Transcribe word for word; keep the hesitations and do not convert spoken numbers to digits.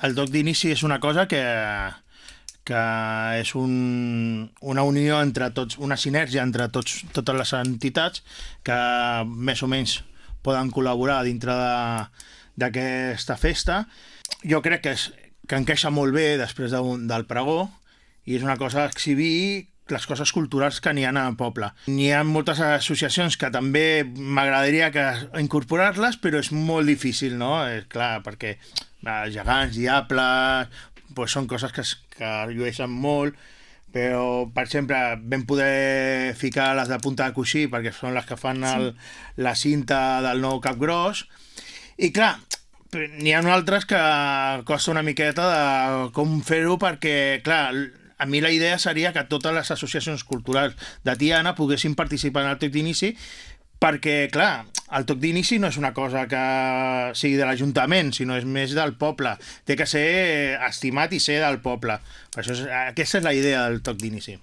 el toc d'inici és una cosa que, que és un, una unió entre tots, una sinergia entre tots, totes les entitats que més o menys poden col·laborar dintre de, d'aquesta festa. Jo crec que, és, que encaixa molt bé després de, del pregó i és una cosa exhibir les coses culturals que n'hi ha al poble. N'hi ha moltes associacions que també m'agradaria que incorporar-les, però és molt difícil, no? És clar, perquè eh, gegants, diables, pues són coses que, que llueixen molt, però, per exemple, vam poder ficar les de punta de coixí, perquè són les que fan el, sí. la cinta del nou Capgròs, i clar, n'hi ha altres que costa una miqueta de com fer-ho, perquè, clar, a mi la idea seria que totes les associacions culturals de Tiana poguessin participar en el toc d'inici, perquè, clar, el toc d'inici no és una cosa que sigui de l'Ajuntament, sinó és més del poble. Té que ser estimat i ser del poble. Per això és, aquesta és la idea del toc d'inici.